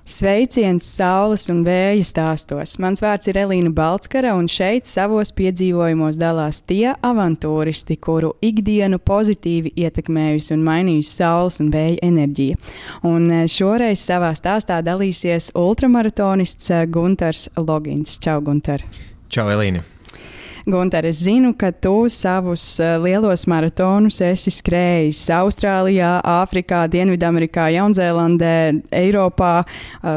Sveiciens saules un vēja stāstos. Mans vārds ir Elīna Balckara, un šeit savos piedzīvojumos dalās tie avantūristi, kuru ikdienu pozitīvi ietekmējusi un mainījusi saules un vēja enerģija. Un šoreiz savā stāstā dalīsies ultramaratonists Guntars Logins. Čau, Gunter! Čau, Elīna! Gunter, es zinu, ka tu savus lielos maratonus esi skrējis Austrālijā, Āfrikā, Dienvidamerikā, Jaunzēlandē, Eiropā,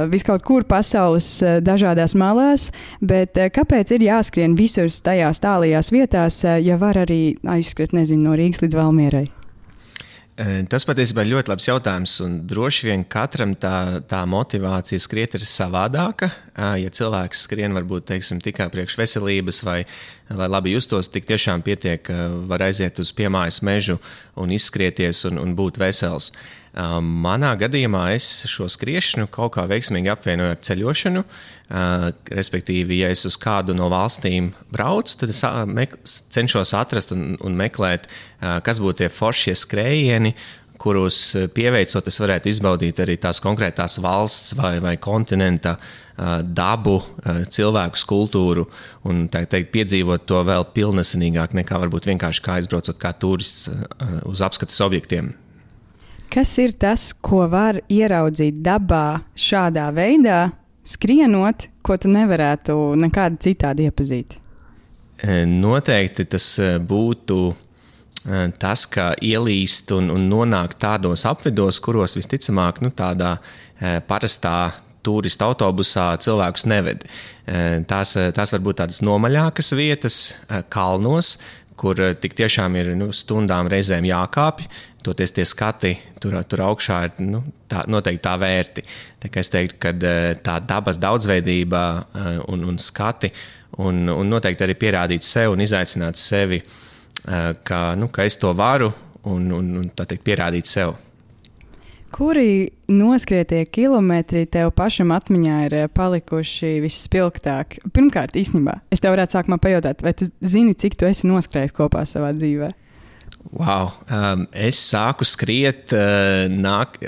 viskaut kur pasaules dažādās malās, bet kāpēc ir jāskrien visur tajās tālajās vietās, ja var arī aizskriet, no Rīgas līdz Valmierai? Tas patiesībā ir ļoti labs jautājums, un droši vien katram tā motivācija skriet ir savādāka. Ja cilvēks skrien varbūt, tikai priekš veselības vai lai labi justos, tik tiešām pietiek, var aiziet uz piemājas mežu un izskrieties un būt vesels. Manā gadījumā es šo skriešanu kaut kā veiksmīgi apvienoju ar ceļošanu, respektīvi, ja es uz kādu no valstīm braucu, tad es cenšos atrast un meklēt, kas būtu tie foršie skrējieni, kurus pieveicot es varētu izbaudīt arī tās konkrētās valsts vai kontinenta dabu, cilvēku kultūru un piedzīvot to vēl pilnesinīgāk nekā varbūt vienkārši kā aizbraucot kā turists uz apskates objektiem. Kas ir tas, ko var ieraudzīt dabā šādā veidā, skrienot, ko tu nevarētu nekādi citādi iepazīt? Noteikti tas būtu tas, ka ielīst un nonākt tādos apvidos, kuros visticamāk tādā parastā turista autobusā cilvēkus neved. Tās var būt tādas nomaļākas vietas, kalnos, kur tik tiešām ir stundām reizēm jākāpj, toties tie skati tur augšā ir noteikti tā vērti. Tā kā es teiktu, ka tā dabas daudzveidība un skati un noteikti arī pierādīt sev un izaicināt sevi, ka es to varu un tā teikt pierādīt sev. Kuri noskrietie kilometri tev pašam atmiņā ir palikuši visspilgtāk? Pirmkārt, īstenībā, es tev varētu sākumā pajautāt, vai tu zini, cik tu esi noskrējis kopā savā dzīvē? Wow! Es sāku skriet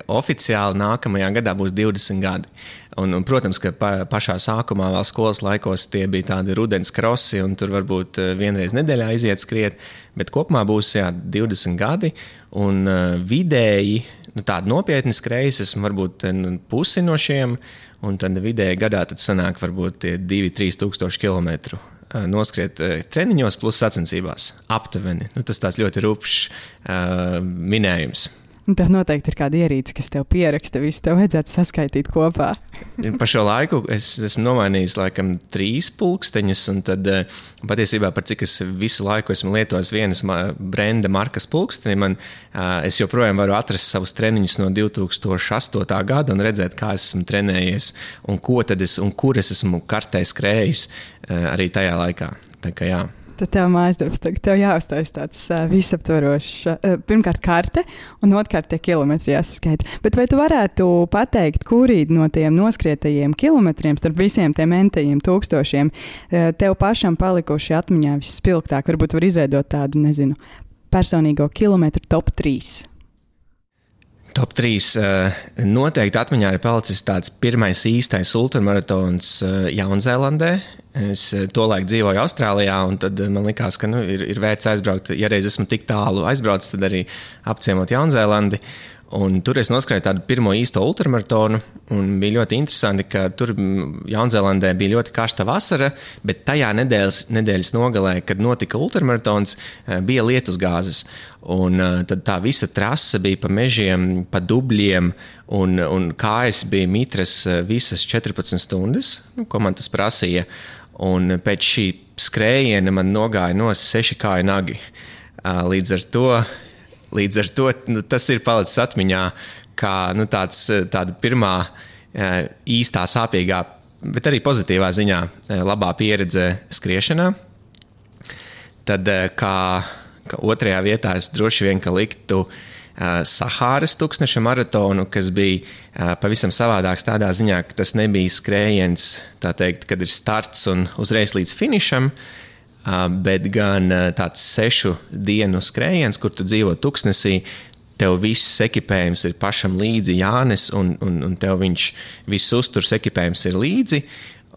oficiāli nākamajā gadā būs 20 gadi. Un, protams, ka pašā sākumā vēl skolas laikos tie bija tādi rudens krosi, un tur varbūt vienreiz nedēļā iziet skriet, bet kopumā būs 20 gadi, un vidēji, tādi nopietni skrējas, esmu varbūt pusi no šiem, un tad vidēji gadā tad sanāk varbūt 2-3 tūkstoši kilometru. Noskriet treniņos plus sacensībās aptuveni. Tas tāds ļoti rupšs minējums. Un tev noteikti ir kāda ierīce, kas tev pieraksta, visu tev vajadzētu saskaitīt kopā. Pa šo laiku es esmu nomainījis laikam 3 pulksteņus, un tad patiesībā par cik es visu laiku esmu lietojis vienas brenda markas pulksteni, es joprojām varu atrast savus treniņus no 2008. gada un redzēt, kā esmu trenējies un ko tad un kur es esmu kartē skrējis arī tajā laikā. Tā kā jā. Tad tev mājasdarbs, tev jāuztais tāds visaptvarošs, pirmkārt karte un otrkārt tie kilometri jāsaskaita. Bet vai tu varētu pateikt, kuri no tiem noskrietajiem kilometriem starp visiem tiem entajiem tūkstošiem tev pašam palikuši atmiņā visspilgtāk? Varbūt var izveidot tādu, personīgo kilometru top 3. Top 3 noteikti atmiņā ir palicis tāds pirmais īstais ultramaratons Jaunzēlandē. Es tolaik dzīvoju Austrālijā, un tad man likās, ka ir vērts aizbraukt. Ja reiz esmu tik tālu aizbraucis, tad arī apciemot Jaunzēlandi. Un tur es noskrēju tādu pirmo īsto ultramaratonu, un bija ļoti interesanti, ka tur Jaunzēlandē bija ļoti karsta vasara, bet tajā nedēļas nogalē, kad notika ultramaratons, bija lietusgāzes. Un tad tā visa trase bija pa mežiem, pa dubļiem, un kājas bija mitras visas 14 stundas, ko man tas prasīja. Un pēc šī skrējiena man nogāja no 6 kāju nagi. Līdz ar to tas ir palicis atmiņā kā tāda pirmā īstā sāpīgā, bet arī pozitīvā ziņā labā pieredze skriešanā. Tad kā otrajā vietā es droši vien liktu Sahāras tūkstneša maratonu, kas bija pavisam savādāks tādā ziņā, ka tas nebija skrējiens, tā teikt, kad ir starts un uzreiz līdz finišam, bet gan tāds 6 dienu skrējiens, kur tu dzīvo tuksnesī. tev viss ekipējums ir pašam līdzi jānes, un tev viss uzturs ekipējums ir līdzi.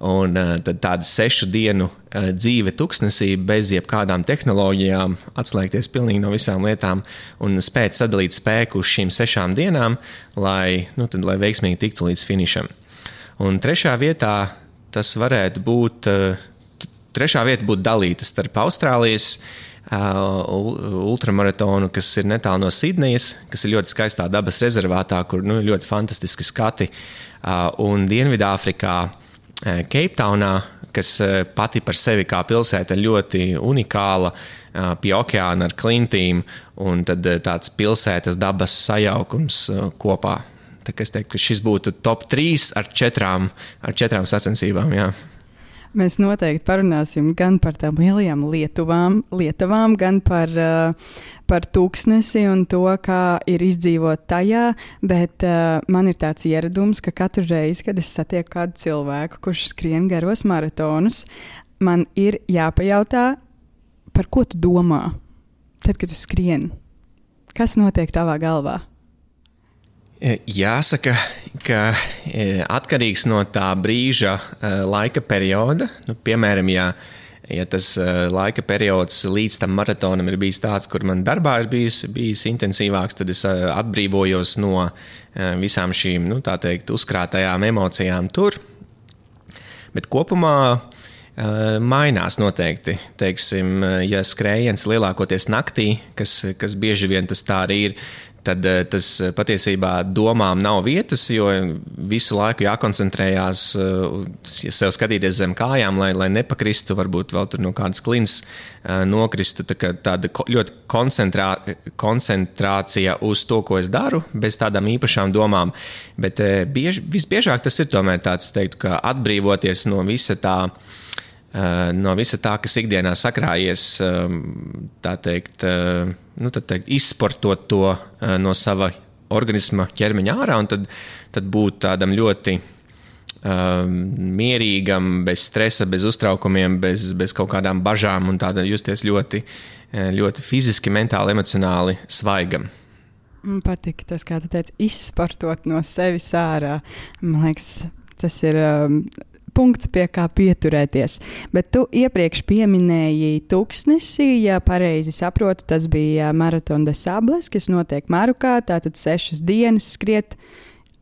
Un tad tāda 6 dienu dzīve tuksnesī bez jebkādām tehnoloģijām, atslēgties pilnīgi no visām lietām un spēt sadalīt spēku uz šīm 6 dienām, lai veiksmīgi tiktu līdz finišam. Un trešā vieta būtu dalīta starp Austrālijas ultramaratonu, kas ir netālu no Sidnejas, kas ir ļoti skaistā dabas rezervātā, kur ļoti fantastiski skati, un Dienvidāfrikā Keiptaunā, kas pati par sevi kā pilsēta ļoti unikāla, pie okeāna ar klintīm, un tad tāds pilsētas dabas sajaukums kopā. Tā kā es teiktu, ka šis būtu top 3 ar 4 sacensībām, jā. Mēs noteikti parunāsim gan par tām lielajām lietavām, gan par tūkstnesi un to, kā ir izdzīvot tajā, bet man ir tāds ieradums, ka katru reizi, kad es satieku kādu cilvēku, kurš skrien garos maratonus, man ir jāpajautā, par ko tu domā, tad, kad tu skrien. Kas notiek tavā galvā? Jāsaka, ka atkarīgs no tā brīža laika perioda, piemēram, ja tas laika periods līdz tam maratonam ir bijis tāds, kur man darbā ir bijis intensīvāks, tad es atbrīvojos no visām šīm, tā teikt, uzkrātajām emocijām tur. Bet kopumā mainās noteikti. Teiksim, ja skrējiens lielākoties naktī, kas bieži vien tas tā arī ir, tad tas patiesībā domām nav vietas, jo visu laiku jākoncentrējās, sev skatīties zem kājām, lai nepakristu, varbūt vēl tur no kādas klins nokristu. Tāda ļoti koncentrācija uz to, ko es daru, bez tādām īpašām domām. Bet visbiežāk tas ir tomēr tāds, es teiktu, ka atbrīvoties no visa tā, kas ikdienā sakrājies, tā teikt, izsportot to no sava organisma ķermeņa ārā, un tad būt tādam ļoti mierīgam, bez stresa, bez uztraukumiem, bez kaut kādām bažām un tāda justies ļoti, ļoti fiziski, mentāli, emocionāli svaigam. Man patīk tas, kā tu teici, izsportot no sevis ārā. Man liekas, tas ir punkts, pie kā pieturēties. Bet tu iepriekš pieminēji tūkstnesi, ja pareizi saprotu, tas bija Marathon des Sables, kas notiek Marokā, tātad 6 dienas skriet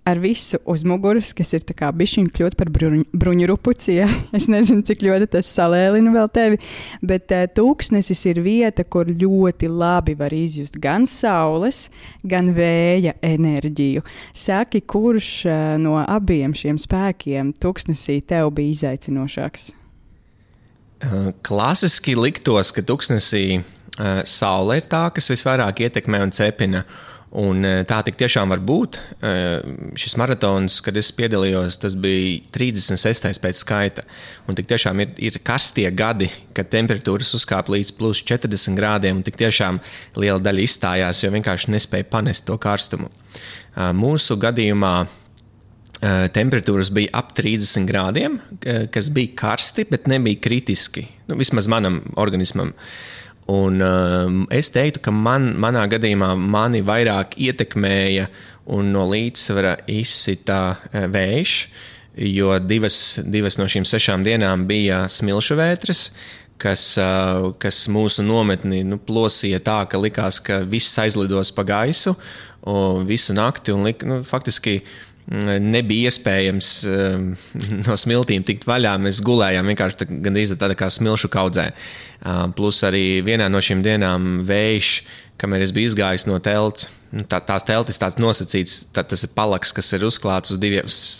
ar visu uz muguras, kas ir tā kā bišķiņ kļūt par bruņurupuci, ja? Es nezinu, cik ļoti tas salēlina vēl tevi, bet tūkstnesis ir vieta, kur ļoti labi var izjust gan saules, gan vēja enerģiju. Saki, kurš no abiem šiem spēkiem tūkstnesī tev bija izaicinošāks? Klasiski liktos, ka tūkstnesī saule ir tā, kas visvairāk ietekmē un cepina. Un tā tik tiešām var būt. Šis maratons, kad es piedalījos, tas bija 36. pēc skaita. Un tik tiešām ir karstie gadi, kad temperatūras uzkāpa līdz plus 40 grādiem, un tik tiešām liela daļa izstājās, jo vienkārši nespēja panest to karstumu. Mūsu gadījumā temperatūras bija ap 30 grādiem, kas bija karsti, bet nebija kritiski. Vismaz manam organismam. Un es teiktu, ka manā gadījumā mani vairāk ietekmēja un no līdzsvara izsita vējš, jo divas no šīm 6 dienām bija smilšu vētras, kas mūsu nometni plosīja tā, ka likās, ka viss aizlidos pa gaisu visu nakti un faktiski nebija iespējams no smiltīm tikt vaļā. Mēs gulējām vienkārši gandrīz tāda kā smilšu kaudzē. Plus arī vienā no šīm dienām vējš, kamēr es biju izgājis no telts. Tās teltis tāds nosacīts, tas ir palaks, kas ir uzklāts uz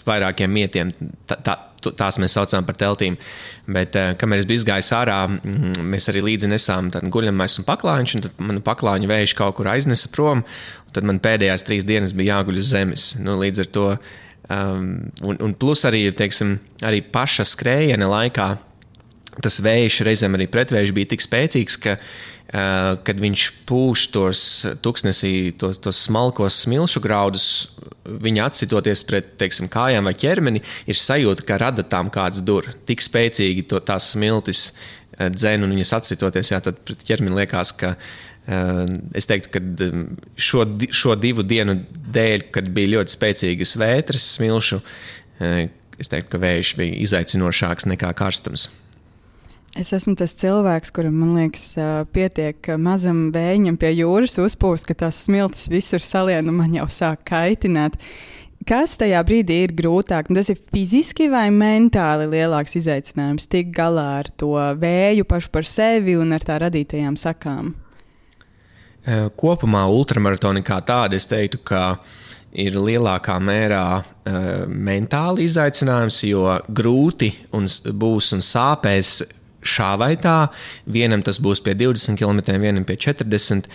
vairākiem mietiem. Tās mēs saucām par teltīm. Bet, kamēr es biju izgājis ārā, mēs arī līdzi nesām guļamais un paklājiņš, un tad manu paklājiņu vējš kaut kur aiznesa prom, un tad man pēdējās 3 dienas bija jāguļ uz zemes. Līdz ar to, un plus arī, teiksim, arī paša skrējiena laikā tas vējš reizēm arī pretvējš bija tik spēcīgs, ka, kad viņš pūš tos tuksnesī, tos smalkos smilšu graudus, viņa atsitoties pret, teiksim, kājām vai ķermeni, ir sajūta, ka rada tām kāds dur. Tik spēcīgi tās smiltis dzen, un viņas atsitoties, tad pret ķermeni liekas, ka Es teiktu, ka šo 2 dienu dēļ, kad bija ļoti spēcīgas vētras smilšu, es teiktu, ka vējš bija izaicinošāks nekā karstums. Es esmu tas cilvēks, kuram, man liekas, pietiek mazam vējiņam pie jūras uzpūst, ka tās smiltis visur salien un man jau sāk kaitināt. Kas tajā brīdī ir grūtāk? Tas ir fiziski vai mentāli lielāks izaicinājums tikt galā ar to vēju pašu par sevi un ar tā radītajām sakām? Kopumā ultramaratoni kā tādi, es teiktu, ka ir lielākā mērā mentāli izaicinājums, jo grūti būs un sāpēs šā vai tā. Vienam tas būs pie 20 km, vienam pie 40,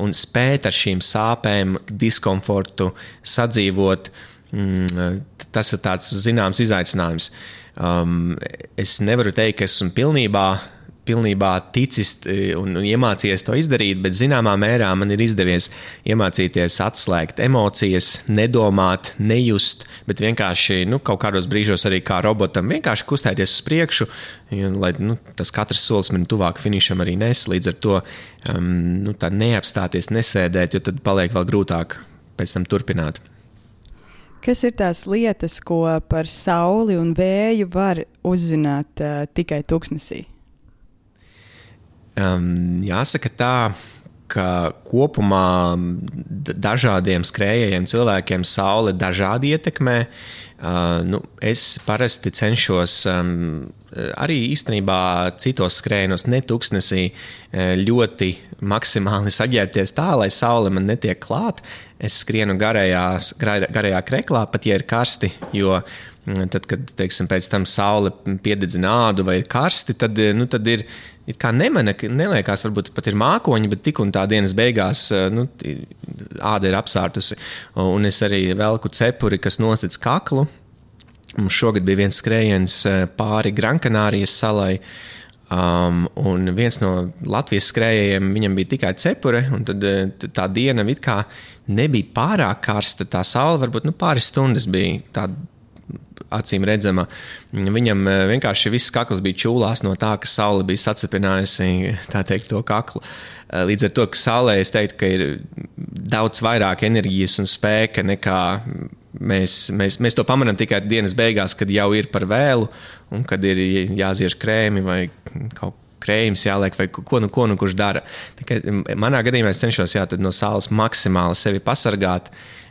un spēt ar šīm sāpēm, diskomfortu sadzīvot, tas ir tāds zināms izaicinājums. Es nevaru teikt, ka esmu pilnībā ticis un iemācījies to izdarīt, bet zināmā mērā man ir izdevies iemācīties atslēgt emocijas, nedomāt, nejust, bet vienkārši kaut kādos brīžos arī kā robotam vienkārši kustēties uz priekšu, lai tas katrs solis man tuvāk finišam arī nes, līdz ar to tā neapstāties, nesēdēt, jo tad paliek vēl grūtāk pēc tam turpināt. Kas ir tās lietas, ko par sauli un vēju var uzzināt tikai tuksnesī? Jāsaka tā, ka kopumā dažādiem skrējējiem cilvēkiem saule dažādi ietekmē. Es parasti cenšos arī īstenībā citos skrējienos, ne tuksnesī, ļoti maksimāli saģērbties tā, lai saule man netiek klāt. Es skrienu garajā kreklā, pat ja ir karsti, jo tad, kad pēc tam saule piededzina ādu vai ir karsti, tad ir kā neliekas, varbūt pat ir mākoņi, bet tik un tā dienas beigās āda ir apsārtusi. Un es arī velku cepuri, kas nostec kaklu. Mums šogad bija viens skrējiens pāri Grankanārijas salai, un viens no Latvijas skrējējiem, viņam bija tikai cepure, un tad tā diena it kā nebija pārāk karsta, tā saule varbūt pāris stundas bija tāda acīm redzama. Viņam vienkārši viss kakls bija čūlās no tā, ka saule bija sacepinājusi, tā teikt, to kaklu. Līdz ar to, ka saulē es teiktu, ka ir daudz vairāk enerģijas un spēka nekā mēs to pamanām tikai dienas beigās, kad jau ir par vēlu un kad ir jāziež krēmi vai kaut krējums jāliek vai ko kurš dara. Tikai manā gadījumā es cenšos no saules maksimāli sevi pasargāt.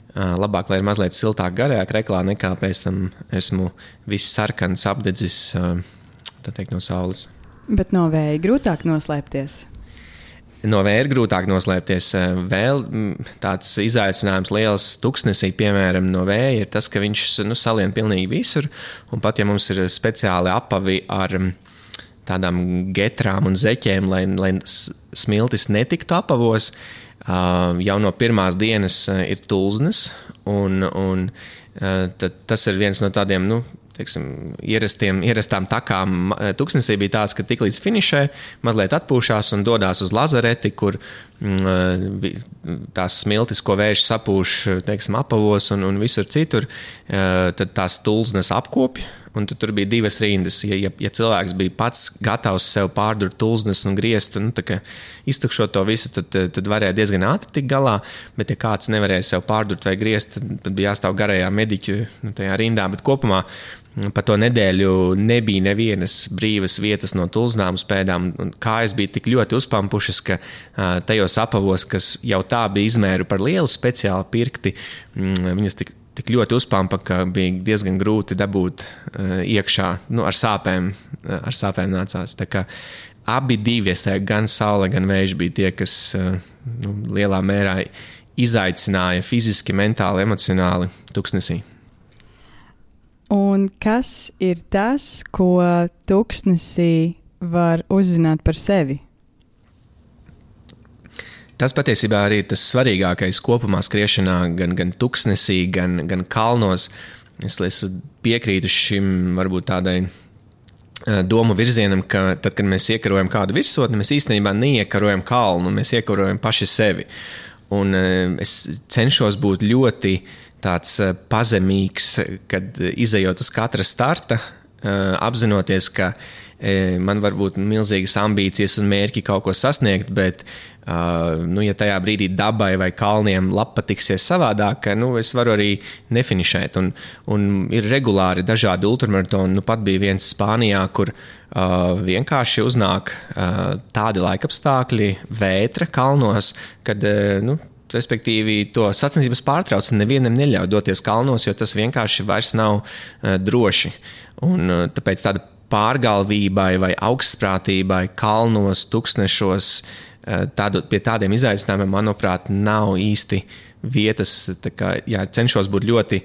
Labāk, lai ir mazliet siltāk garajā kreklā, nekā pēc tam esmu viss sarkans, apdedzis, tā teikt, no saules. Bet no vēja grūtāk noslēpties? No vēja ir grūtāk noslēpties. Vēl tāds izaicinājums liels tuksnesī, piemēram, no vēja ir tas, ka viņš salien pilnīgi visur, un pat ja mums ir speciāli apavi ar tādām getrām un zeķēm, lai smiltis netiktu apavos, jau no pirmās dienas ir tulznes, un tad tas ir viens no tādiem, ierastām takām. Tuksnesī bija tāds, ka tik līdz finišē mazliet atpūšās un dodās uz lazareti, kur tās smiltis, ko vējš sapūš, apavos un visur citur, tad tās tulznes apkopja. Un tur bija 2 rindas. Ja cilvēks bija pats gatavs sev pārdurt tulznes un griezt, iztukšot to visu, tad varēja diezgan ātri tikt galā. Bet, ja kāds nevarēja sev pārdurt vai griezt, tad bija jāstāv garajā mediķu tajā rindā. Bet kopumā pa to nedēļu nebija nevienas brīvas vietas no tulznām uz pēdām. Kājas bija tik ļoti uzpampušas, ka tajos apavos, kas jau tā bija izmēru par lielu, speciāli pirkti, viņas tik ļoti uzpampa, ka bija diezgan grūti dabūt iekšā, ar sāpēm nācās. Tā kā abi divi, gan saule, gan vējš bija tie, kas lielā mērā izaicināja fiziski, mentāli, emocionāli tuksnesī. Un kas ir tas, ko tuksnesī var uzzināt par sevi? Tas patiesībā arī ir tas svarīgākais kopumā skriešanā, gan tuksnesī, gan kalnos. Es piekrītu šim varbūt tādai domu virzienam, ka tad, kad mēs iekarojam kādu virsotni, mēs īstenībā neiekarojam kalnu, mēs iekarojam paši sevi. Un es cenšos būt ļoti tāds pazemīgs, kad izejot uz katra starta, apzinoties, ka man var būt milzīgas ambīcijas un mērķi kaut ko sasniegt, bet, ja tajā brīdī dabai vai kalniem patiksies savādāk, es varu arī nefinišēt. Un ir regulāri dažādi ultramaratoni. Pat bija viens Spānijā, kur vienkārši uznāk tādi laikapstākļi, vētra kalnos, kad, respektīvi, to sacensības pārtrauc un nevienam neļauj doties kalnos, jo tas vienkārši vairs nav droši. Un tāpēc tāda pārgalvībai vai augstprātībai kalnos, tuksnešos, pie tādiem izaicinājumiem, manuprāt, nav īsti vietas. Cenšos būt ļoti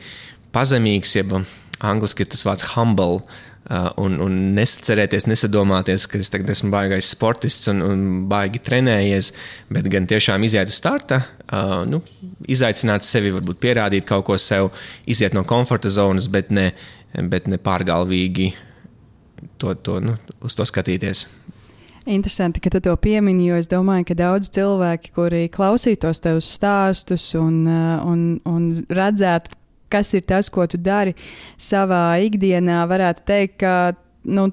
pazemīgs, jeb angliski ir tas vārds humble, un nesacerēties, nesadomāties, ka es tagad esmu baigais sportists un baigi trenējies, bet gan tiešām iziet uz starta, izaicināt sevi, varbūt pierādīt kaut ko sev, iziet no komforta zonas, bet ne pārgalvīgi uz to skatīties. Interesanti, ka tu to piemini, jo es domāju, ka daudz cilvēki, kuri klausītos tevus stāstus un redzētu, kas ir tas, ko tu dari savā ikdienā, varētu teikt, ka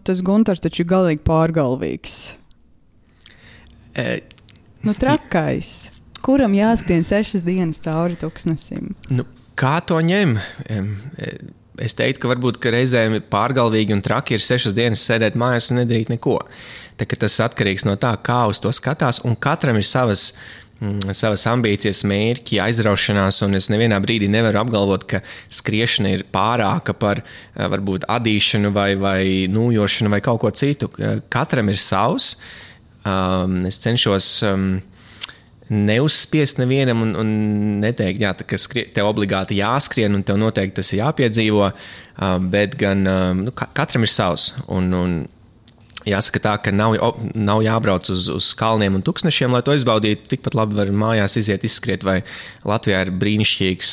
tas Guntars taču ir galīgi pārgalvīgs. Trakais. Kuram jāskrien 6 dienas cauri tuksnesim? Kā to ņem? Es teiktu, ka varbūt reizēm pārgalvīgi un traki ir 6 dienas sēdēt mājās un nedarīt neko. Tas atkarīgs no tā, kā uz to skatās, un katram ir savas ambīcijas, mērķi, aizraušanās, un es nevienā brīdī nevaru apgalvot, ka skriešana ir pārāka par varbūt adīšanu vai nūjošanu vai kaut ko citu. Katram ir savs. Es cenšos neuzspiest nevienam un neteikt, ka tev obligāti jāskrien un tev noteikti tas ir jāpiedzīvo, bet gan katram ir savs. Un jāsaka tā, ka nav jābrauc uz kalniem un tuksnešiem, lai to izbaudītu. Tikpat labi var mājās iziet izskriet, vai Latvijā ir brīnišķīgs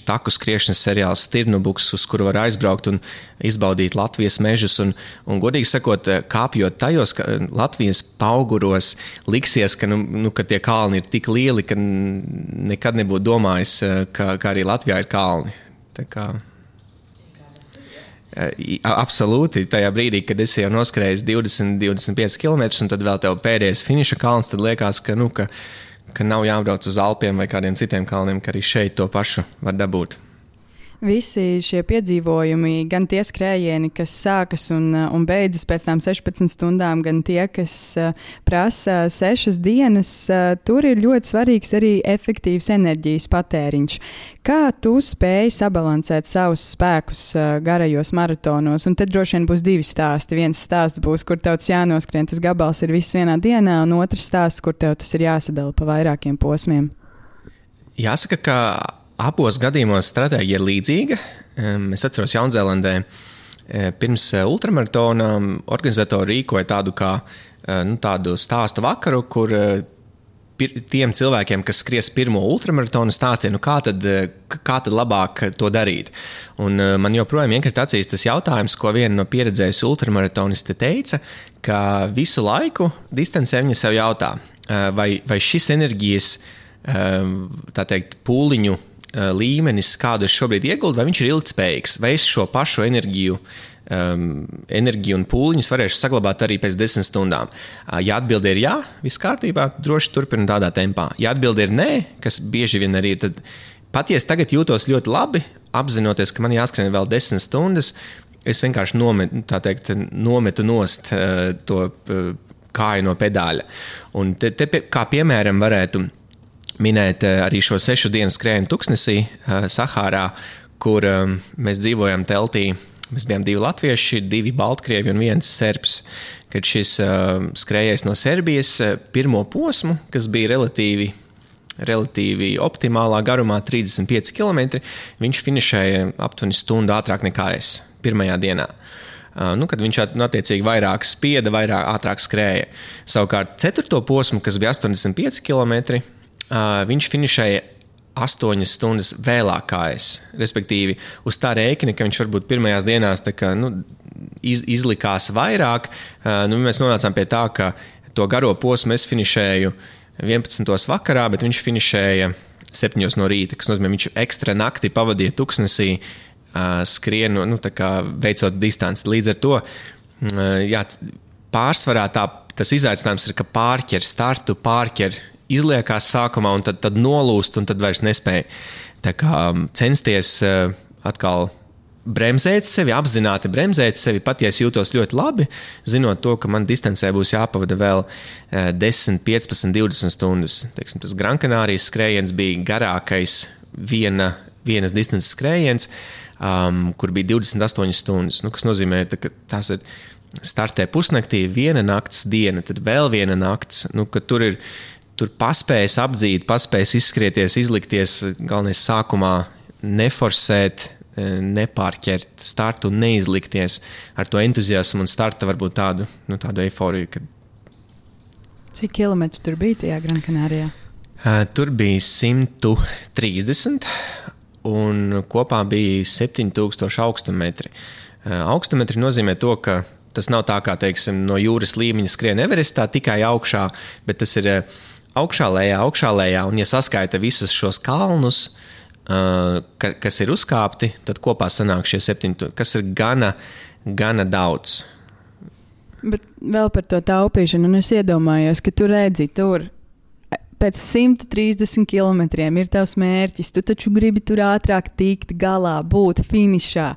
taku skriešanas seriāls Stirnubuks, uz kuru var aizbraukt un izbaudīt Latvijas mežus. Un godīgi sakot, kāpjot tajos Latvijas pauguros, liksies, ka tie kalni ir tik lieli, ka nekad nebūtu domājis, ka arī Latvijā ir kalni. Tā kā absolūti. Tajā brīdī, kad esi jau noskrējis 20-25 km, un tad vēl tev pēdējais finiša kalns, tad liekas, ka nav jābrauc uz Alpiem vai kādiem citiem kalniem, ka arī šeit to pašu var dabūt. Visi šie piedzīvojumi, gan tie skrējieni, kas sākas un beidzas pēc tām 16 stundām, gan tie, kas prasa 6 dienas, tur ir ļoti svarīgs arī efektīvs enerģijas patēriņš. Kā tu spēji sabalansēt savus spēkus garajos maratonos? Un tad droši vien būs 2 stāsti. Viens stāsts būs, kur tev tas jānoskrien, tas gabals ir viss vienā dienā, un otrs stāsts, kur tev tas ir jāsadala pa vairākiem posmiem. Jāsaka, ka abos gadījumos stratēģija ir līdzīga. Es atceros Jaunzēlandē pirms ultramaratona organizatori rīkoja tādu stāstu vakaru, kur tiem cilvēkiem, kas skries pirmo ultramaratonu, stāstīja, kā tad labāk to darīt. Un man joprojām iekrīt acīs tas jautājums, ko viena no pieredzējusi ultramaratoniste teica, ka visu laiku distancē viņa sev jautā, vai šis enerģijas, tā teikt, pūliņu līmenis, kādu es šobrīd ieguldu, vai viņš ir ilgtspējīgs, vai es šo pašu enerģiju un pūliņus varēšu saglabāt arī pēc 10 stundām. Ja atbilde ir jā, viss kārtībā, droši turpinu tādā tempā. Ja atbilde ir nē, kas bieži vien arī ir, tad pat ja es tagad jūtos ļoti labi, apzinoties, ka man jāskrien vēl 10 stundas, es vienkārši nometu nost to kāju no pedāļa. Un te kā piemēram varētu minēt arī šo 6 dienu skrējienu tuksnesī Sahārā, kur mēs dzīvojam teltī. Mēs bijām 2 latvieši, 2 baltkrievi un 1 serbs. Kad šis skrējējs no Serbijas pirmo posmu, kas bija relatīvi optimālā garumā, 35 km, viņš finišēja aptuveni stundu ātrāk nekā es pirmajā dienā. Kad viņš attiecīgi vairāk spieda, ātrāk skrēja. Savukārt 4. posmu, kas bija 85 km, viņš finišēja 8 stundas vēlāk kā es. Respektīvi, uz tā rēķina, ka viņš varbūt pirmajās dienās izlikās vairāk. Mēs nonācām pie tā, ka to garo posmu es finišēju 11. vakarā, bet viņš finišēja 7 no rīta, kas nozīmē, viņš ekstra nakti pavadīja tuksnesī skrienu, tā kā veicot distanci. Līdz ar to jā, pārsvarā tas izaicinājums ir, ka pārķer izliekās sākumā un tad nolūst un tad vairs nespēja. Tā kā censties atkal bremzēt sevi, apzināti bremzēt sevi, pat ja es jūtos ļoti labi, zinot to, ka man distancē būs jāpavada vēl 10, 15, 20 stundas. Teiksim, tas Gran Canārijas skrējiens bija garākais vienas distances skrējiens, kur bija 28 stundas, kas nozīmē, ka tās ir startē pusnaktī, viena nakts diena, tad vēl viena nakts, ka tur paspējas apdzīt, paspējas izskrieties, izlikties, galvenais sākumā neforsēt, nepārķert startu un neizlikties ar to entuziasmu un starta varbūt tādu eiforiju. Cik kilometru tur bija tajā Gran Canārijā? Tur bija 130 un kopā bija 7000 augstumetri. Augstumetri nozīmē to, ka tas nav tā kā, teiksim, no jūras līmeņa skrien Everestā tikai augšā, bet tas ir augšā lejā, un ja saskaita visus šos kalnus, kas ir uzkāpti, tad kopā sanāk šie 7000, kas ir gana daudz. Bet vēl par to taupīšanu, un es iedomājos, ka tu redzi tur pēc 130 kilometriem ir tavs mērķis, tu taču gribi tur ātrāk tikt galā, būt finišā.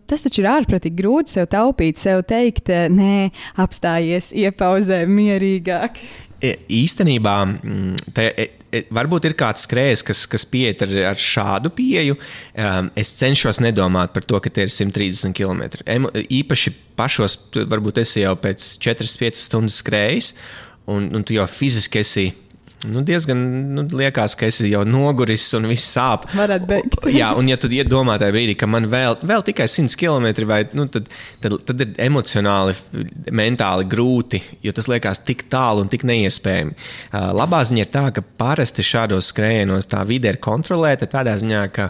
Tas taču ir ārprātīgi grūti sev taupīt, sev teikt, nē, apstājies, iepauzē mierīgāk. Īstenībā varbūt ir kāds skrējējs, kas pieiet ar šādu pieeju. Es cenšos nedomāt par to, ka tie ir 130 km. Īpaši pašos, varbūt esi jau pēc 4-5 stundas skrējis, un tu jau fiziski esi diezgan liekas, ka esi jau noguris un viss sāp. Varētu beigt. Jā, un ja tu iedomā tajā brīdī, ka man vēl tikai 100 km, vai, tad ir emocionāli, mentāli grūti, jo tas liekas tik tālu un tik neiespējami. Labā ziņa ir tā, ka parasti šādos skrējienos tā vide ir kontrolēta tādā ziņā, ka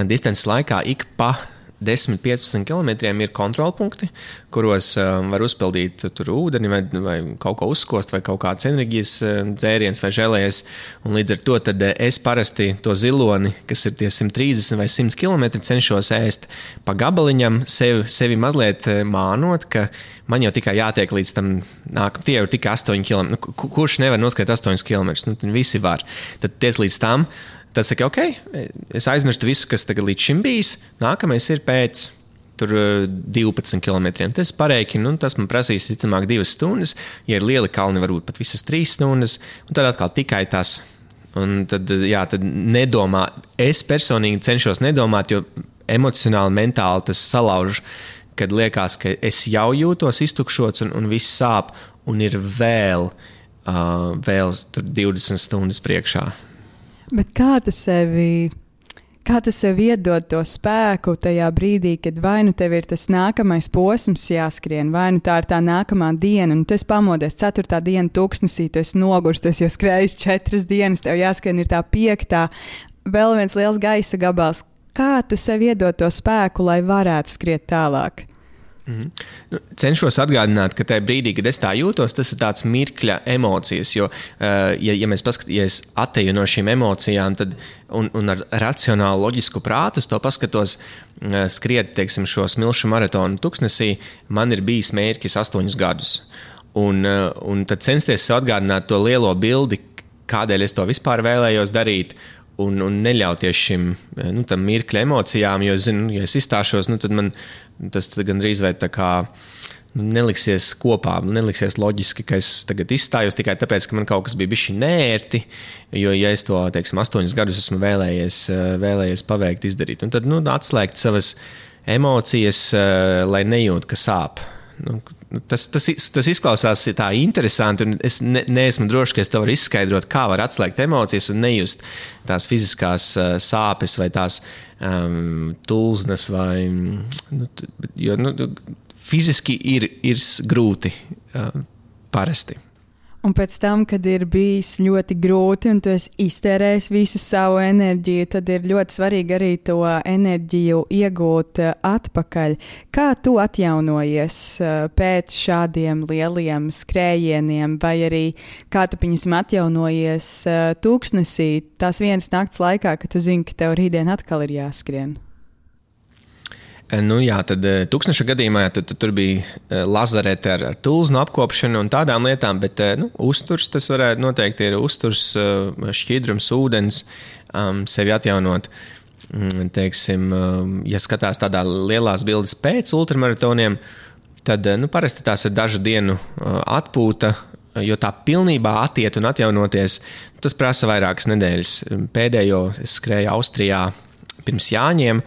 distances laikā ik pa 10-15 km ir kontrolpunkti, kuros var uzpildīt tur ūdeni vai kaut ko uzkost vai kaut kāds enerģijas dzēriens vai žēlējies. Un līdz ar to tad es parasti to ziloni, kas ir tie 130 vai 100 km, cenšos ēst pa gabaliņam, sevi mazliet mānot, ka man jau tikai jātiek līdz tam tie jau tikai 8 km. Kurš nevar noskriet 8 km? Tad visi var. Tad ties līdz tam. Tad saka, ok, es aizmirstu visu, kas tagad līdz šim bijis. Nākamais ir pēc 12 km. Tas pareikinu, tas man prasīs, ticamāk, 2 stundas. Ja ir lieli kalni, varbūt pat visas 3 stundas. Un tad atkal tikai tas. Un tad nedomā. Es personīgi cenšos nedomāt, jo emocionāli, mentāli tas salauž, kad liekas, ka es jau jūtos iztukšots un viss sāp. Un ir vēl 20 stundas priekšā. Bet kā tu sev iedod to spēku tajā brīdī, kad vai nu tev ir tas nākamais posms jāskrien, vai nu tā ir tā nākamā diena, un tu esi pamodies 4. diena tūkstnesī, tu esi nogurs, tu esi jau skrējis 4 dienas, tev jāskrien ir tā 5. Vēl viens liels gaisa gabals. Kā tu sev iedod to spēku, lai varētu skriet tālāk? Cenšos atgādināt, ka tajā brīdī, kad es tā jūtos, tas ir tāds mirkļa emocijas, jo, ja mēs paskatīsimies atteju no šīm emocijām, tad, un ar racionālu, loģisku prātu to paskatos, skriet, teiksim, šo smilšu maratonu Tuksnesī, man ir bijis mērķis 8 gadus. Un tad censties atgādināt to lielo bildi, kādēļ es to vispār vēlējos darīt, un neļauties šim tam mirkļa emocijām, jo, zinu, ja es izstāšos, tad man tas gandrīz vai tā kā neliksies kopā, neliksies loģiski, ka es tagad izstājos tikai tāpēc, ka man kaut kas bija bišķi neērti, jo, ja es to, teiksim, 8 gadus esmu vēlējies paveikt, izdarīt. Un tad, atslēgt savas emocijas, lai nejūt, ka sāp. Tas izklausās tā interesanti, un es neesmu drošs, ka es to varu izskaidrot, kā var atslēgt emocijas un nejust tās fiziskās sāpes vai tās tulznas, vai, jo fiziski ir grūti parasti. Un pēc tam, kad ir bijis ļoti grūti un tu esi iztērējis visu savu enerģiju, tad ir ļoti svarīgi arī to enerģiju iegūt atpakaļ. Kā tu atjaunojies pēc šādiem lieliem skrējieniem, vai arī kā tu atjaunojies Tūkstnesī tās vienas nakts laikā, kad tu zini, ka tev rītdien atkal ir jāskrien? Jā, tad tūkstneša gadījumā tur bija lazarete ar tulznu apkopšanu un tādām lietām, bet uzturs tas varētu noteikti ir uzturs, šķidrums, ūdens, sevi atjaunot. Teiksim, ja skatās tādā lielās bildes pēc ultramaratoniem, tad parasti tās ir dažu dienu atpūta, jo tā pilnībā attiet un atjaunoties, tas prasa vairākas nedēļas. Pēdējo es skrēju Austrijā pirms Jāņiem,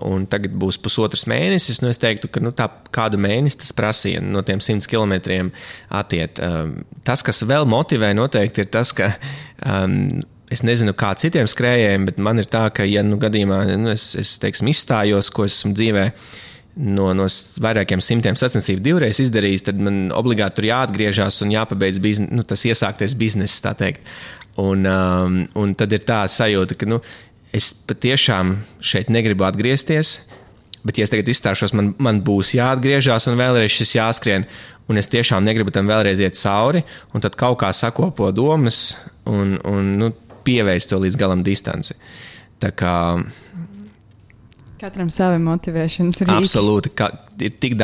un tagad būs pusotrs mēnesis. Es teiktu, ka tā kādu mēnesi tas prasīja no tiem 100 kilometriem attiet. Tas, kas vēl motivē noteikti, ir tas, ka es nezinu, kā citiem skrējējiem, bet man ir tā, ka, ja gadījumā es teiksim, izstājos, ko esmu dzīvē no vairākiem simtiem sacensību divreiz izdarījis, tad man obligāti tur jāatgriežas un jāpabeidz tas iesāktais bizness, tā teikt. Un tad ir tā sajūta, ka es patiešām šeit negribu atgriezties, bet, ja es tagad izstāšos, man būs jāatgriežas un vēlreiz šis jāskrien, un es tiešām negribu tam vēlreiz iet cauri, un tad kaut kā sakopo domas un pieveic to līdz galam distanci. Tā kā katram savi motivēšanas rīki. Absolūti, ir tik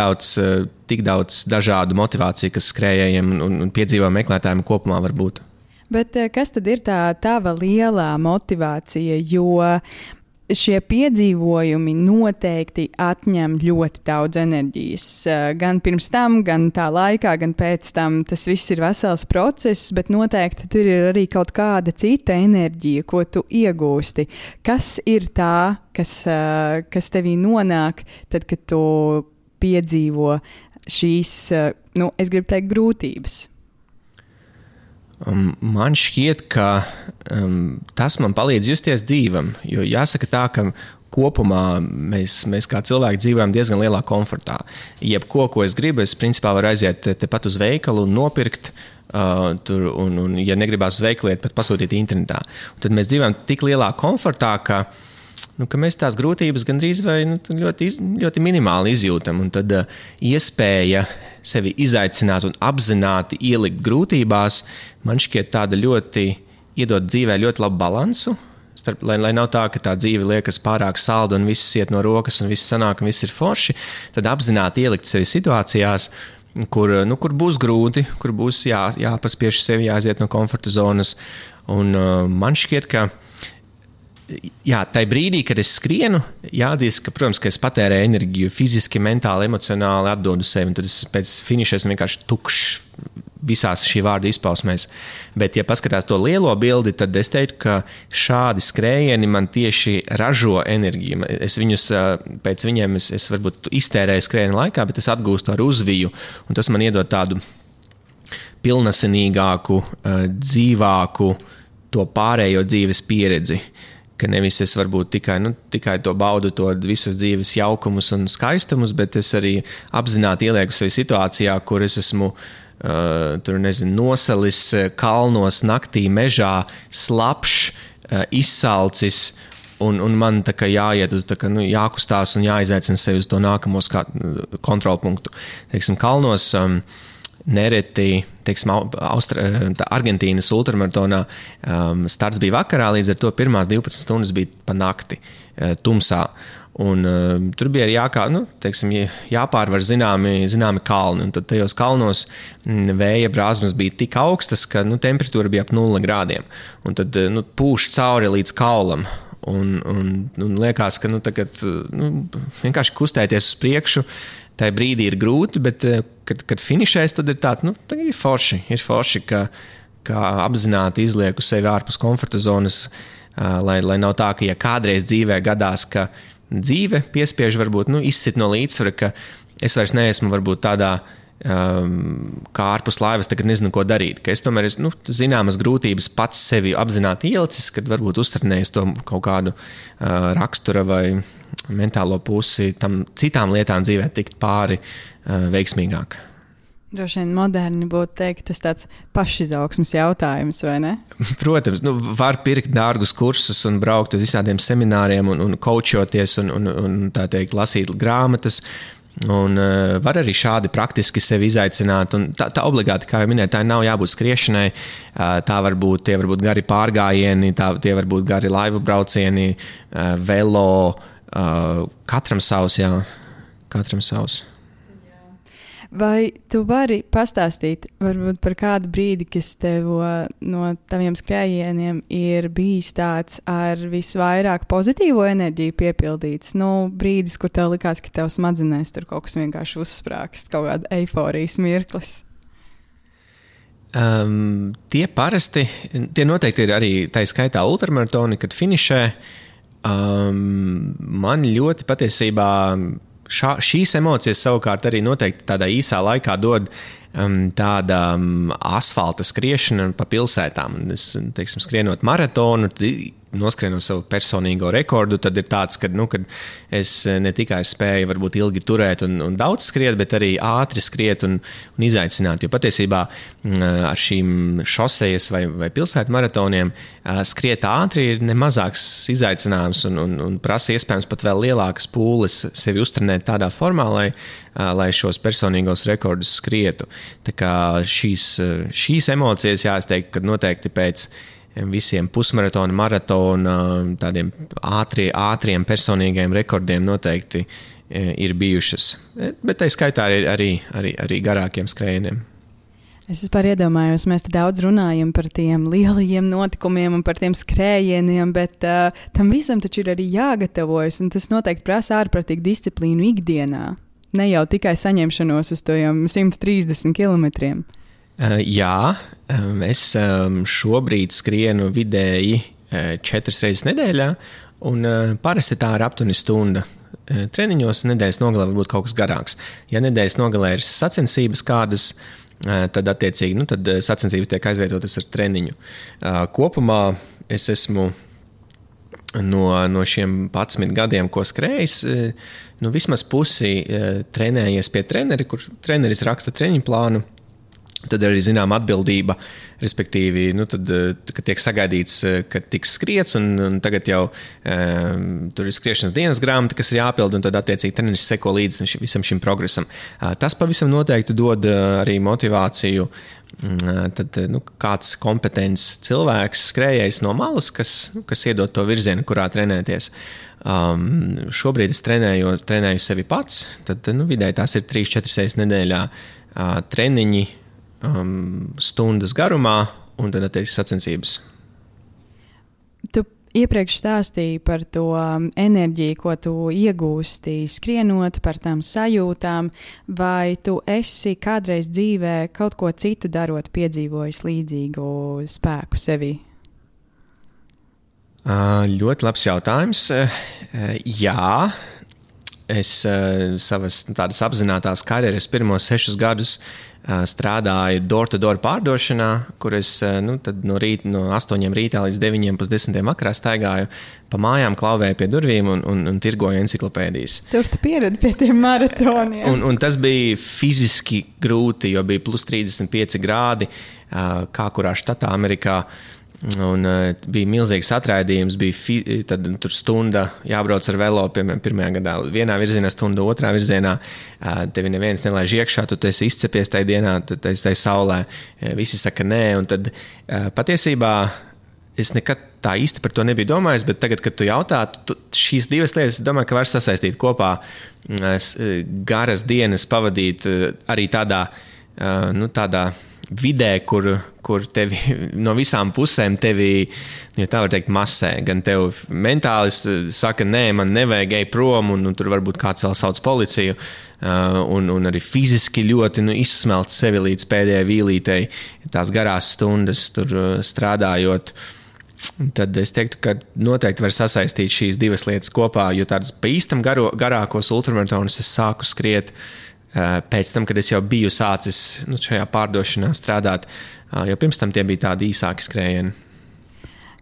daudz dažādu motivāciju, kas skrējējiem un piedzīvo meklētājiem kopumā var būt. Bet kas tad ir tā tava lielā motivācija, jo šie piedzīvojumi noteikti atņem ļoti daudz enerģijas. Gan pirms tam, gan tā laikā, gan pēc tam tas viss ir vesels process, bet noteikti tur ir arī kaut kāda cita enerģija, ko tu iegūsti. Kas ir tā, kas tevī nonāk tad, kad tu piedzīvo šīs, es gribu teikt, grūtības? Man šķiet, ka tas man palīdz justies dzīvam, jo jāsaka tā, ka kopumā mēs kā cilvēki dzīvojam diezgan lielā komfortā. Jebko, ko es gribu, es principā varu aiziet tepat uz veikalu un nopirkt, un ja negribās uz veikalu iet, pat pasūtīt internetā. Un tad mēs dzīvojam tik lielā komfortā, ka mēs tās grūtības gandrīz vai ļoti, ļoti minimāli izjūtam. Un tad iespēja sevi izaicināt un apzināti ielikt grūtībās, man šķiet tāda ļoti iedod dzīvē ļoti labu balansu, lai nav tā, ka tā dzīve liekas pārāk salda un viss iet no rokas un viss sanāk un viss ir forši, tad apzināti ielikt sevi situācijās, kur būs grūti, kur būs jāpaspiež sevi, jāiziet no komforta zonas. Un man šķiet, ka tai brīdī, kad es skrienu, jāatzīst, ka, protams, ka es patērēju enerģiju fiziski, mentāli, emocionāli atdodu sevi, un tad es pēc finiša esmu vienkārši tukšs visās šī vārda izpausmēs. Bet, ja paskatās to lielo bildi, tad es teiktu, ka šādi skrējieni man tieši ražo enerģiju. Es viņus, pēc viņiem es varbūt iztērēju skrējienu laikā, bet es atgūstu ar uzviju, un tas man iedod tādu pilnasinīgāku, dzīvāku, to pārējo dzīves pieredzi. Ka nevis es varbūt tikai to baudu, to visas dzīves jaukumus un skaistumus, bet es arī apzināti ielieku sevi situācijā, kur es esmu nosalis kalnos, naktī, mežā, slapšs, izsalcis, un man tā kā jāiet uz, jākustās un jāizaicina sevi uz to nākamo kontrolpunktu. Teiksim, kalnos nereti, teiksim, Argentīnas ultramaratonā starts bija vakarā, līdz ar to pirmās 12 stundas bija pa nakti tumsā. Un tur bija arī jāpārvar zināmi kalni. Un tad tajos kalnos vēja brāzmas bija tik augstas, ka temperatūra bija ap 0 grādiem. Un tad pūš cauri līdz kaulam. Un liekas, ka tagad vienkārši kustēties uz priekšu, tajā brīdī ir grūti, bet kad finišēs, tad ir tāds, ir forši, ka apzināti izlieku sevi ārpus komforta zonas, lai nav tā, ka ja kādreiz dzīvē gadās, ka dzīve piespiež varbūt izsit no līdzsvara, ka es vairs neesmu varbūt tādā kā ārpus laivas, tagad nezinu, ko darīt. Ka es tomēr zināmas grūtības pats sevi apzināti ielicis, kad varbūt uztrenējis to kaut kādu rakstura vai mentālo pusi, tam citām lietām dzīvē tikt pāri veiksmīgāk. Droši vien moderni būtu teikt, tas tāds pašizaugsmes jautājums, vai ne? Protams, var pirkt dārgus kursus un braukt uz visādiem semināriem un coachoties un tā teikt, lasīt grāmatas. Un var arī šādi praktiski sevi izaicināt. Un tā obligāti, kā jau minēju, tā nav jābūt skriešanai. Tie var būt gari pārgājieni, tie var būt gari laivu braucieni, velo, Katram savs, jā. Katram savs. Vai tu vari pastāstīt varbūt par kādu brīdi, kas tev no taviem skrējieniem ir bijis tāds ar visvairāk pozitīvo enerģiju piepildīts? Brīdis, kur tev likās, ka tev smadzenēs tur kaut kas vienkārši uzsprāgst, kaut kāda eiforijas mirklis. Tie noteikti ir arī tā skaitā ultramaratoni, kad finišē. Man ļoti patiesībā šīs emocijas savukārt arī noteikti tādā īsā laikā dod tāda asfalta skriešana pa pilsētām. Es, teiksim, skrienot maratonu, noskrienot savu personīgo rekordu, tad ir tāds, kad es ne tikai spēju varbūt ilgi turēt un daudz skriet, bet arī ātri skriet un izaicināt. Jo patiesībā ar šīm šosejas vai pilsētu maratoniem skriet ātri ir nemazāks izaicinājums un prasa iespējams pat vēl lielākas pūles sevi uztrenēt tādā formā, lai šos personīgos rekordus skrietu. Tā kā šīs emocijas, es teiktu, ka noteikti pēc visiem pusmaratona, maratona, tādiem ātriem personīgiem rekordiem noteikti ir bijušas. Bet tā skaitā arī garākiem skrējieniem. Es vispār iedomājos, mēs te daudz runājam par tiem lielajiem notikumiem un par tiem skrējieniem, bet tam visam taču ir arī jāgatavojas, un tas noteikti prasa ārprātīgu disciplīnu ikdienā. Ne jau tikai saņemšanos uz tojiem 130 kilometriem. Jā, es šobrīd skrienu vidēji 4 reizes nedēļā, un parasti tā ir aptuveni stunda. Treniņos nedēļas nogalē varbūt kaut kas garāks. Ja nedēļas nogalē ir sacensības kādas, tad attiecīgi tad sacensības tiek aizvietotas ar treniņu. Kopumā es esmu no šiem 11 gadiem, ko skrējis, vismaz pusi trenējies pie treneri, kur treneris raksta treniņu plānu. Tad arī zinām atbildība, respektīvi, kad tiek sagaidīts, ka tiks skriets, un tagad jau tur ir skriešanas dienas grāmata, kas ir jāpild, un tad attiecīgi treneris seko līdzi visam šim progresam. Tas pavisam noteikti dod arī motivāciju. Tad kāds kompetents cilvēks, skrējējs no malas, kas iedod to virzienu, kurā trenēties. Šobrīd es trenēju sevi pats, tad vidēji tās ir 3-4 reizes nedēļā treniņi, stundas garumā un tad attiecīgi sacensības. Tu iepriekš stāstīji par to enerģiju, ko tu iegūsti skrienot, par tām sajūtām, vai tu esi kādreiz dzīvē kaut ko citu darot, piedzīvojis līdzīgu spēku sevī? Ļoti labs jautājums. Jā. Es savas tādas apzinātās karjeras pirmos 6 gadus strādāju door-to-door pārdošanā, kur es tad no 8 rītā līdz 9:30 vakarā staigāju pa mājām, klauvēju pie durvīm un tirgoju enciklopēdijas. Tur tu pieredi pie tiem maratoniem. Un tas bija fiziski grūti, jo bija plus 35 grādi, kā kurā štatā Amerikā. Un bija milzīgs atraidījums, tad tur stunda jābrauc ar velo, piemēram, pirmajā gadā vienā virzienā, stunda otrā virzienā, tevi neviens nelaiž iekšā, tu esi izcepies tajā dienā, tad tai saulē, visi saka nē, un tad patiesībā es nekad tā īsti par to nebiju domājis, bet tagad, kad tu jautā, šīs divas lietas, es domāju, ka var sasaistīt kopā, garas dienas pavadīt arī tādā vidē, kur tevi no visām pusēm tevi, ja tā var teikt, masē. Gan tev mentāli saka, nē, man nevajag ej prom, un tur varbūt kāds vēl sauc policiju, un arī fiziski ļoti izsmelt sevi līdz pēdējai vīlītei, tās garās stundas tur strādājot. Tad es teiktu, ka noteikti var sasaistīt šīs divas lietas kopā, jo tādas pa īstam garākos ultramaratonus es sāku skriet pēc tam, kad es jau biju sācis šajā pārdošanā strādāt, jo pirms tam tie bija tādi īsāki skrējieni.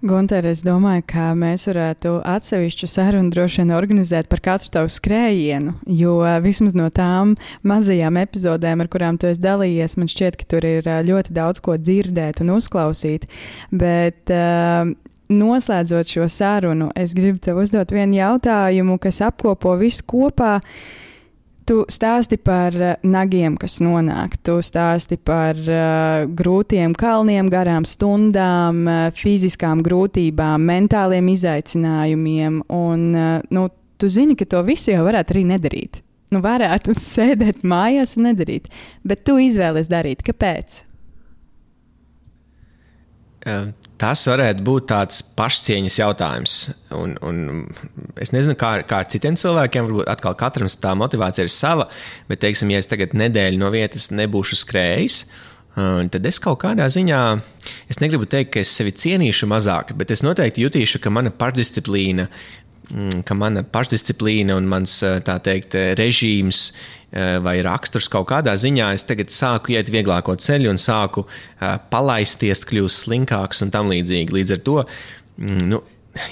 Gunter, es domāju, ka mēs varētu atsevišķu sarunu droši vien organizēt par katru tavu skrējienu, jo vismaz no tām mazajām epizodēm, ar kurām tu esi dalījies, man šķiet, ka tur ir ļoti daudz ko dzirdēt un uzklausīt, bet noslēdzot šo sarunu, es gribu tev uzdot vienu jautājumu, kas apkopo visu kopā. Tu stāsti par nagiem, kas nonāk, tu stāsti par grūtiem kalniem, garām stundām, fiziskām grūtībām, mentāliem izaicinājumiem, un tu zini, ka to visu jau varētu arī nedarīt. Nu, varētu sēdēt mājās un nedarīt, bet tu izvēlies darīt. Kāpēc? Tas varētu būt tāds pašcieņas jautājums. Un es nezinu, kā ar citiem cilvēkiem, varbūt atkal katram tā motivācija ir sava, bet, teiksim, ja es tagad nedēļu no vietas nebūšu skrējis, tad es kaut kādā ziņā, es negribu teikt, ka es sevi cienīšu mazāk, bet es noteikti jutīšu, ka mana pašdisciplīna un mans, tā teikt, režīms vai raksturs kaut kādā ziņā, es tagad sāku iet vieglāko ceļu un sāku palaisties, kļūst slinkāks un tam līdzīgi. Līdz ar to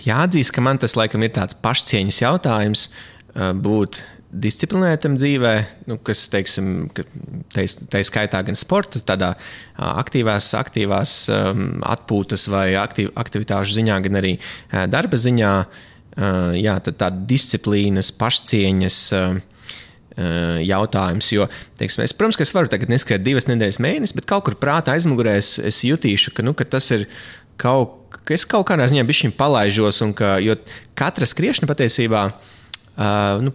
jāatzīst, ka man tas laikam ir tāds pašcieņas jautājums būt disciplinētam dzīvē, kas, teiksim, tai skaitā gan sporta, tādā aktīvās atpūtas vai aktivitāšu ziņā, gan arī darba ziņā. Jā, tad tāda disciplīnas, pašcieņas jautājums, jo, teiksim, protams, ka es varu tagad neskriet 2 nedēļas mēnesi, bet kaut kur prātā aizmugurē es jutīšu, ka tas ir ka es kaut kādā ziņā bišķiņ palaižos, jo katra skriešana patiesībā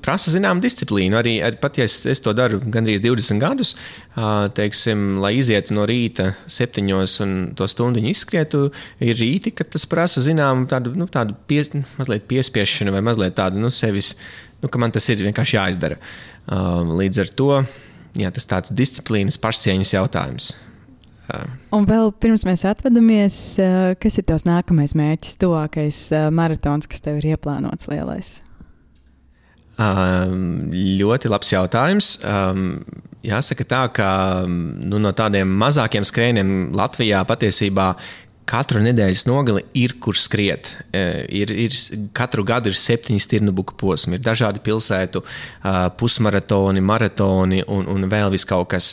prasa zināmu disciplīnu. Arī pat, ja es to daru gandrīz 20 gadus, teiksim, lai izietu no rīta 7 un to stundiņu izskrietu, ir rīti, kad tas prasa zināmu tādu mazliet piespiešanu vai mazliet tādu sevis, ka man tas ir vienkārši jāizdara. Līdz ar to, jā, tas tāds disciplīnas pašcieņas jautājums. Un vēl pirms mēs atvadamies, kas ir tavs nākamais mērķis, tuvākais maratons, kas tev ir ieplānots lielais? Ļoti labs jautājums. Jāsaka tā, ka no tādiem mazākiem skrējieniem Latvijā patiesībā katru nedēļas nogali ir, kur skriet. Katru gadu ir 7 stirnubuku posmi, ir dažādi pilsētu pusmaratoni, maratoni un vēl vis kaut kas.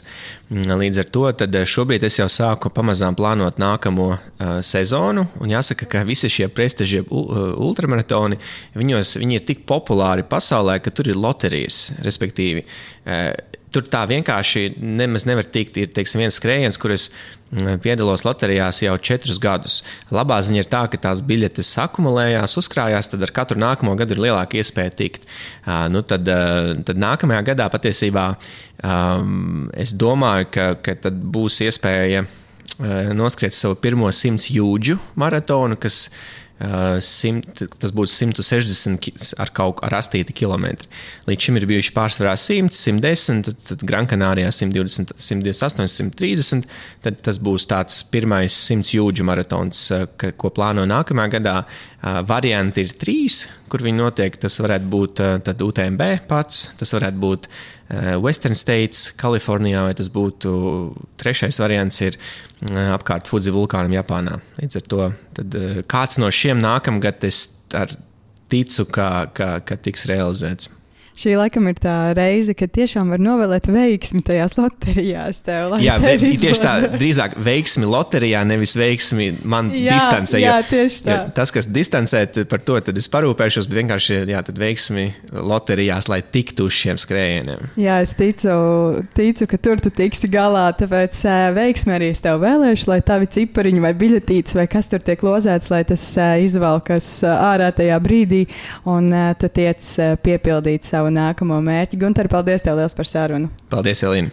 Līdz ar to tad šobrīd es jau sāku pamazām plānot nākamo sezonu, un jāsaka, ka visi šie prestižie ultramaratoni, viņi ir tik populāri pasaulē, ka tur ir loterijas, respektīvi. Tur tā vienkārši nemaz nevar tikt. Ir, teiksim, viens skrējiens, kur es piedalos loterijās jau 4 gadus. Labā ziņa ir tā, ka tās biļetes akumulējās, uzkrājās, tad ar katru nākamo gadu ir lielāka iespēja tikt. Tad nākamajā gadā patiesībā es domāju, ka tad būs iespēja noskriet savu pirmo 100 jūdžu maratonu, kas tas būtu 160 ar astīti kilometri. Līdz šim ir bijuši pārsvarā 100, 110, tad Grankanārijā 120, 128, 130. Tad tas būs tāds pirmais 100 jūdžu maratons, ko plāno nākamajā gadā. Varianti ir 3, kur viņi notiek. Tas varētu būt tad UTMB pats, tas varētu būt Western States, Kalifornijā, vai tas būtu 3. variants ir apkārt Fudzi vulkānam Japānā. Līdz ar to tad kāds no šiem nākamgad es ticu, ka tiks realizēts. Šī laikam ir tā reize, kad tiešām var novēlēt veiksmi tajās loterijās. Jā, tieši tā, drīzāk veiksmi loterijā, nevis veiksmi man distancē. Jā, tieši tā. Tas, kas distancē, par to tad es parūpēšos, bet vienkārši tad veiksmi loterijās, lai tiktu uz šiem skrējieniem. Jā, es ticu, ka tur tu tiksi galā, tāpēc veiksmi arī es tev vēlēšu, lai tavi cipariņi vai biļetītes vai kas tur tiek lozēts, lai tas izvalkas ārā tajā brīdī un tu tiec piepildīt savu nākamo mērķi. Gunter, paldies tev liels par sarunu. Paldies, Elīna.